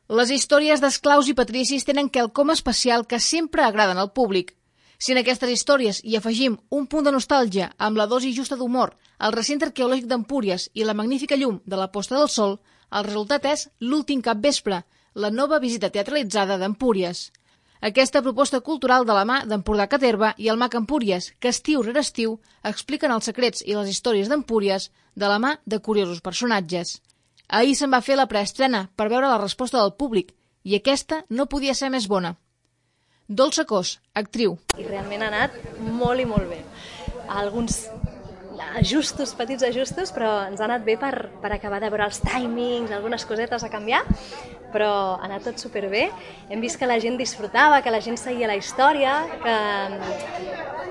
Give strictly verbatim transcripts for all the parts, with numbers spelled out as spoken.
Les històries d'esclaus i patricis tenen quelcom especial que sempre agraden al públic. Si en aquestes històries hi afegim un punt de nostàlgia amb la dosi justa d'humor, el recinte arqueològic d'Empúries i la magnífica llum de la posta del sol, el resultat és L'últim capvespre, la nova visita teatralitzada d'Empúries. Aquesta proposta cultural de la mà d'Empordà Caterva i el Mag Empúries, que estiu rere estiu expliquen els secrets i les històries d'Empúries de la mà de curiosos personatges. Ahir se'n va fer la preestrena per veure la resposta del públic i aquesta no podia ser més bona. Dolça Cos, actriu. I realment ha anat molt i molt bé. Alguns ajustos, petits ajustos, però ens ha anat bé per, per acabar de veure els timings, algunes cosetes a canviar, però ha anat tot superbé. Hem vist que la gent disfrutava, que la gent seguia la història, que,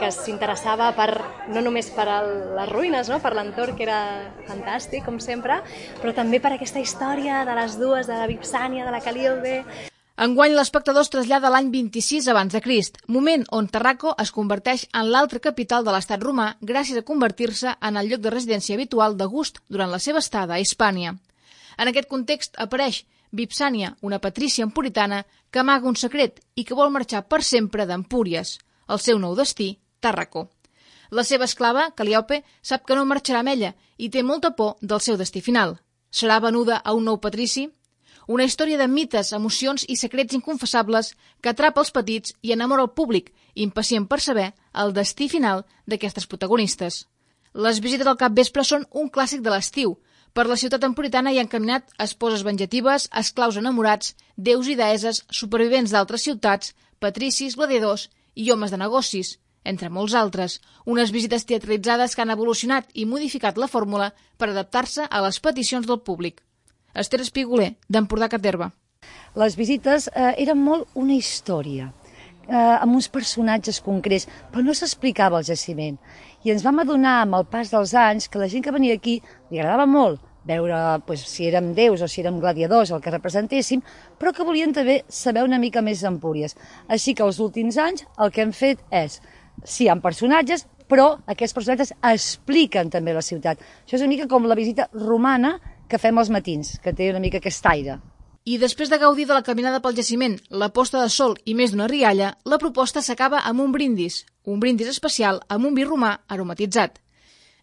que s'interessava per, no només per el, les ruïnes, no? Per l'entorn, que era fantàstic, com sempre, però també per aquesta història de les dues, de la Vipsània, de la Calíope. Enguany l'espectador es trasllada a l'any vint-i-sis abans de Crist, moment on Tarraco es converteix en l'altra capital de l'estat romà gràcies a convertir-se en el lloc de residència habitual d'August durant la seva estada a Hispània. En aquest context apareix Vipsània, una patrícia empuritana que amaga un secret i que vol marxar per sempre d'Empúries. El seu nou destí, Tarraco. La seva esclava, Calíope, sap que no marxarà amb ella i té molta por del seu destí final. Serà venuda a un nou patrici? Una història de mites, emocions i secrets inconfessables que atrapa els petits i enamora el públic, impacient per saber el destí final d'aquestes protagonistes. Les visites al capvespre són un clàssic de l'estiu. Per la ciutat empuritana hi han caminat esposes vengetives, esclaus enamorats, déus i deeses, supervivents d'altres ciutats, patricis, gladiadors i homes de negocis, entre molts altres. Unes visites teatralitzades que han evolucionat i modificat la fórmula per adaptar-se a les peticions del públic. Esther Espiguler, d'Empordà Caterva. Les visites eh, eren molt una història, eh, amb uns personatges concrets, però no s'explicava el jaciment. I ens vam adonar amb el pas dels anys que la gent que venia aquí li agradava molt veure pues, si érem déus o si érem gladiadors, el que representéssim, però que volien també saber una mica més d'Empúries. Així que els últims anys el que hem fet és, sí, hi ha personatges, però aquests personatges expliquen també la ciutat. Això és una mica com la visita romana que fem als matins, que té una mica aquest aire. I després de gaudir de la caminada pel jaciment, la posta de sol i més d'una rialla, la proposta s'acaba amb un brindis, un brindis especial amb un vi romà aromatitzat.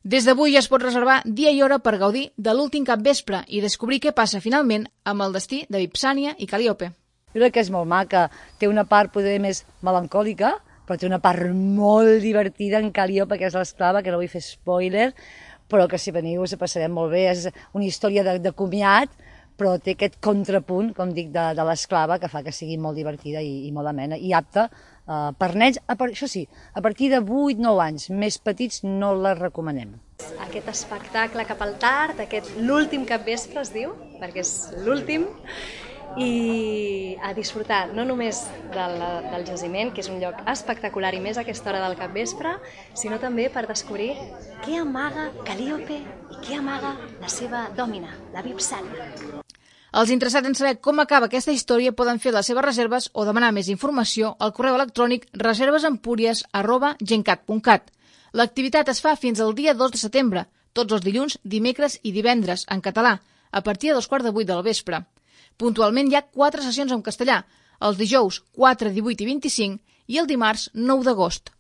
Des d'avui ja es pot reservar dia i hora per gaudir de l'últim capvespre i descobrir què passa finalment amb el destí de Vipsània i Calíope. Jo crec que és molt maca, té una part poder més melancòlica, però té una part molt divertida en Calíope, que és l'esclava, que no vull fer spoiler, però que si veniu us passarem molt bé. És una història de, de comiat, però té aquest contrapunt, com dic, de, de l'esclava, que fa que sigui molt divertida i, i molt amena, i apta uh, per nens. A part, això sí, a partir de vuit nou anys, més petits no la recomanem. Aquest espectacle cap al tard, aquest l'últim capvespre es diu, perquè és l'últim, i a disfrutar no només del, del jaciment, que és un lloc espectacular i més a aquesta hora del capvespre, sinó també per descobrir què amaga Calíope i què amaga la seva dòmina, la Vipsània. Els interessats en saber com acaba aquesta història poden fer les seves reserves o demanar més informació al correu electrònic reservesempúries arroba gencat punt cat. L'activitat es fa fins al dia dos de setembre, tots els dilluns, dimecres i divendres, en català, a partir de dos quarts de vuit del vespre. Puntualment hi ha quatre sessions en castellà, els dijous quatre, divuit i vint-i-cinc i el dimarts nou d'agost.